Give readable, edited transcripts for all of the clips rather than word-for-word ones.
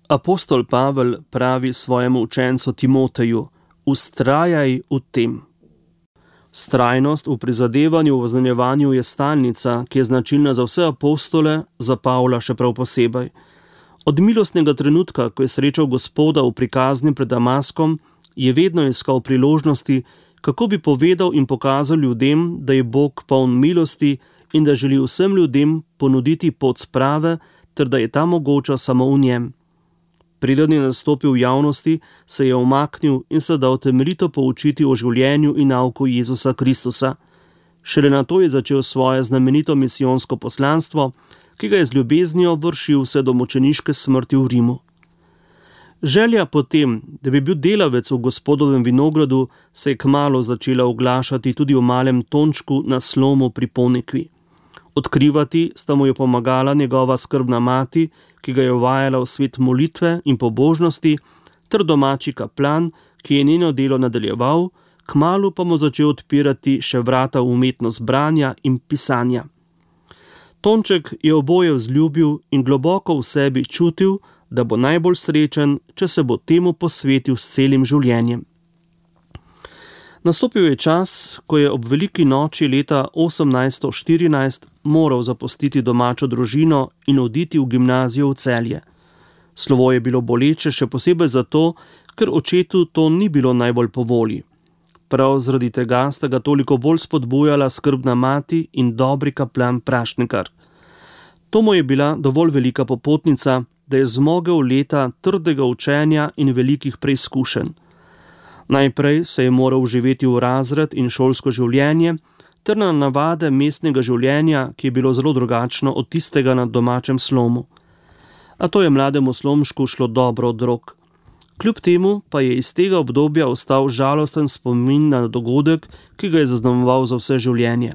Apostol Pavel pravi svojemu učencu Timoteju: "Vztrajaj v tem." Vztrajnost v prizadevanju v oznanjevanju je stalnica, ki je značilna za vse apostole, za Pavla še prav posebej. Od milostnega trenutka, ko je srečal Gospoda v prikazni pred Damaskom, je vedno iskal priložnosti, kako bi povedal in pokazal ljudem, da je Bog poln milosti in da želi vsem ljudem ponuditi pot sprave, ter da je ta mogoča samo v njem. Preden je nastopil v javnosti, se je umaknil in se dal temeljito poučiti o življenju in nauku Jezusa Kristusa. Šele nato je začel svoje znamenito misijonsko poslanstvo, ki ga je z ljubeznijo vršil vse do mučeniške smrti v Rimu. Želja po tem, da bi bil delavec v Gospodovem vinogradu, se je kmalu začela oglašati tudi v malem Tončku na Slomu pri Ponikvi. Odkrivati sta mu jo pomagala njegova skrbna mati, ki ga je uvajala v svet molitve in pobožnosti, ter domači kaplan, ki je njeno delo nadaljeval, kmalu pa mu začel odpirati še vrata v umetnost branja in pisanja. Tonček je oboje vzljubil in globoko v sebi čutil, da bo najbolj srečen, če se bo temu posvetil s celim življenjem. Nastopil je čas, ko je ob veliki noči leta 1814 moral zapustiti domačo družino in oditi v gimnazijo v Celje. Slovo je bilo boleče še posebej zato, ker očetu to ni bilo najbolj po volji. Prav zaradi tega sta ga toliko bolj spodbujala skrbna mati in dobri kaplan Prašnikar. To mu je bila dovolj velika popotnica, da je zmogel leta trdega učenja in velikih preizkušenj. Najprej se je moral vživeti v razred in šolsko življenje, ter na navade mestnega življenja, ki je bilo zelo drugačno od tistega na domačem Slomu. A to je mlademu Slomšku šlo dobro od rok. Kljub temu pa je iz tega obdobja ostal žalosten spomin na dogodek, ki ga je zaznamoval za vse življenje.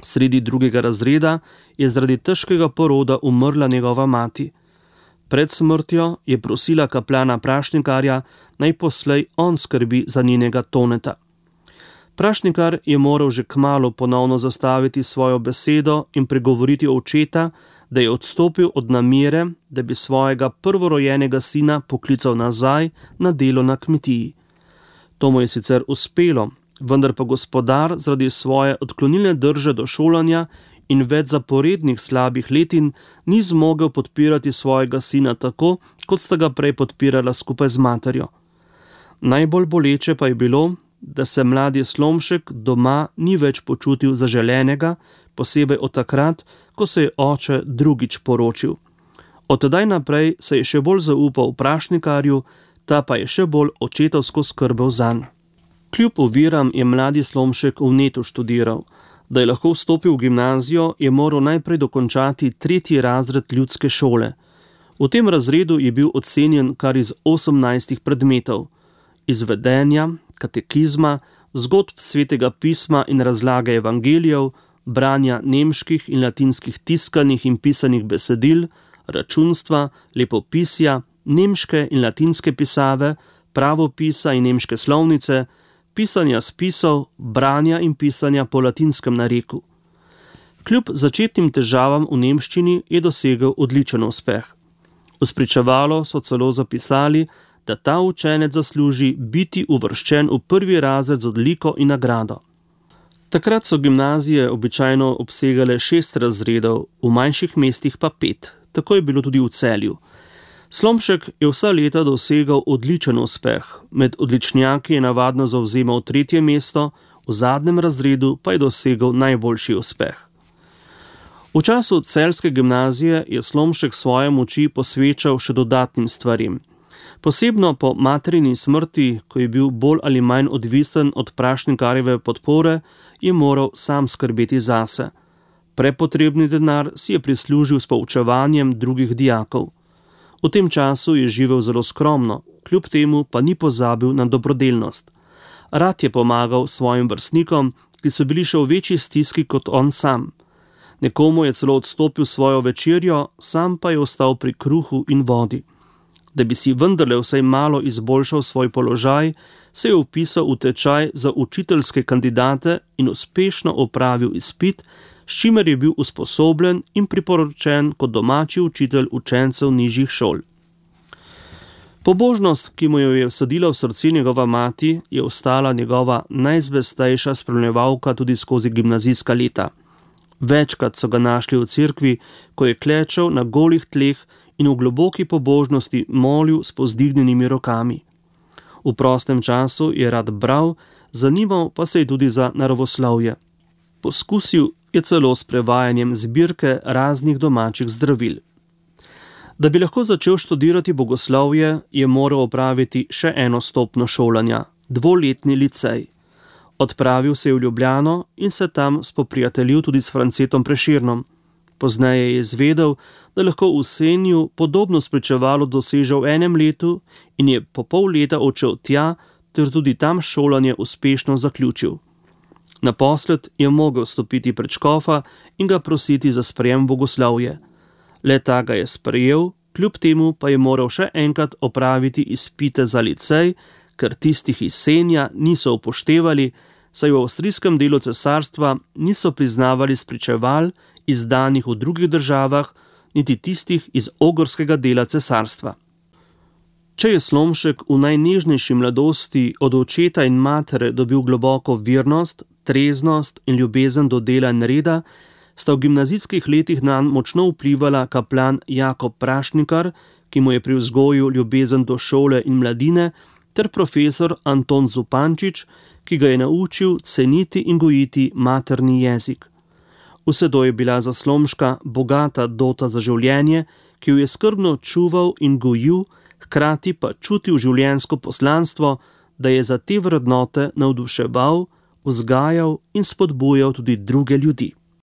Sredi 2. razreda je zaradi težkega poroda umrla njegova mati. Pred smrtjo je prosila kaplana Prašnikarja, naj poslej on skrbi za njenega Toneta. Prašnikar je moral že kmalu ponovno zastaviti svojo besedo in pregovoriti očeta, da je odstopil od namere, da bi svojega prvorojenega sina poklical nazaj na delo na kmetiji. To mu je sicer uspelo, vendar pa gospodar zaradi svoje odklonilne drže do šolanja in več zaporednih slabih letin ni zmogel podpirati svojega sina tako, kot sta ga prej podpirala skupaj z materjo. Najbolj boleče pa je bilo, da se mladi Slomšek doma ni več počutil zaželenega, posebej od takrat, ko se je oče drugič poročil. Od tedaj naprej se je še bolj zaupal Prašnikarju, ta pa je še bolj očetovsko skrbel zanj. Kljub oviram je mladi Slomšek v Netu študiral. Da je lahko vstopil v gimnazijo, je moral najprej dokončati 3. razred ljudske šole. V tem razredu je bil ocenjen kar iz 18 predmetov: izvedenja, katekizma, zgodb svetega pisma in razlage evangelijev, branja nemških in latinskih tiskanih in pisanih besedil, računstva, lepopisja, nemške in latinske pisave, pravopisa in nemške slovnice, pisanja spisov, branja in pisanja po latinskem nareku. Kljub začetnim težavam v nemščini je dosegel odličen uspeh. V spričevalo so celo zapisali, da ta učenec zasluži biti uvrščen v 1. razred z odliko in nagrado. Takrat so gimnazije običajno obsegale 6 razredov, v manjših mestih pa 5. Tako je bilo tudi v Celju. Slomšek je vsa leta dosegal odličen uspeh, med odličnjaki je navadno zavzemal 3. mesto, v zadnjem razredu pa je dosegal najboljši uspeh. V času celjske gimnazije je Slomšek svoje moči posvečal še dodatnim stvarim. Posebno po materini smrti, ko je bil bolj ali manj odvisen od Prašnikarjeve podpore, je moral sam skrbeti zase. Prepotrebni denar si je prislužil s poučevanjem drugih dijakov. V tem času je živel zelo skromno, kljub temu pa ni pozabil na dobrodelnost. Rad je pomagal svojim vrstnikom, ki so bili še v večji stiski kot on sam. Nekomu je celo odstopil svojo večerjo, sam pa je ostal pri kruhu in vodi. Da bi si vendarle vsaj malo izboljšal svoj položaj, se je vpisal v tečaj za učiteljske kandidate in uspešno opravil izpit, s čimer je bil usposobljen in priporočen kot domači učitelj učencev nižjih šol. Pobožnost, ki mu jo je vsadila v srce njegova mati, je ostala njegova najzvestejša spremljevalka tudi skozi gimnazijska leta. Večkrat so ga našli v cerkvi, ko je klečal na golih tleh in v globoki pobožnosti molil s povzdignjenimi rokami. V prostem času je rad bral, zanimal pa se je tudi za naravoslovje. Poskusil je celo s prevajanjem zbirke raznih domačih zdravil. Da bi lahko začel študirati bogoslovje, je moral opraviti še eno stopnjo šolanja, 2-letni licej. Odpravil se je v Ljubljano in se tam spoprijateljil tudi s Francetom Prešernom. Pozneje je izvedel, da lahko v Senju podobno spričevalo doseže v enem letu in je po pol leta odšel tja, ter tudi tam šolanje uspešno zaključil. Naposled je mogel stopiti pred škofa in ga prositi za sprejem bogoslovje. Le ta ga je sprejel, kljub temu pa je moral še enkrat opraviti izpite za licej, ker tistih iz Senja niso upoštevali, saj v avstrijskem delu cesarstva niso priznavali spričeval, izdanih v drugih državah, niti tistih iz ogrskega dela cesarstva. Če je Slomšek v najnežnejši mladosti od očeta in matere dobil globoko vernost, treznost in ljubezen do dela in reda, sta v gimnazijskih letih nanj močno vplivala kaplan Jakob Prašnikar, ki mu je pri vzgoju ljubezen do šole in mladine, ter profesor Anton Zupančič, ki ga je naučil ceniti in gojiti materni jezik. Vse to je bila za Slomška bogata dota za življenje, ki jo je skrbno čuval in gojil, hkrati pa čutil življenjsko poslanstvo, da je za te vrednote navduševal, vzgajal in spodbujal tudi druge ljudi.